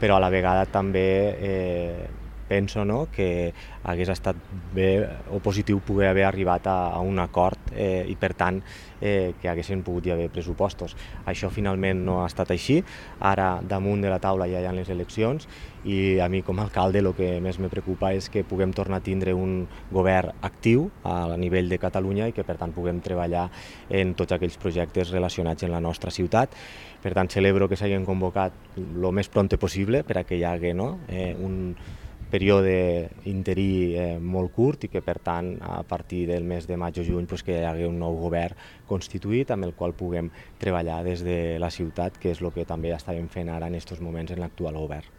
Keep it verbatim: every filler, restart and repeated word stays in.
però a la vegada també eh, penso no, que hagués estat bé o positiu poder haver arribat a, a un acord eh, i per tant eh, que haguessin pogut hi haver pressupostos. Això finalment no ha estat així, ara damunt de la taula ja hi ha les eleccions i a mi com a alcalde el que més me preocupa és que puguem tornar a tindre un govern actiu a nivell de Catalunya i que per tant puguem treballar en tots aquells projectes relacionats amb la nostra ciutat. Per tant celebro que s'hagin convocat el més prompte possible per a que hi hagi no, eh, un període interí eh, molt curt i que per tant a partir del mes de maig o juny pues, que hi hagi un nou govern constituït amb el qual puguem treballar des de la ciutat, que és el que també estàvem fent ara en aquests moments en l'actual govern.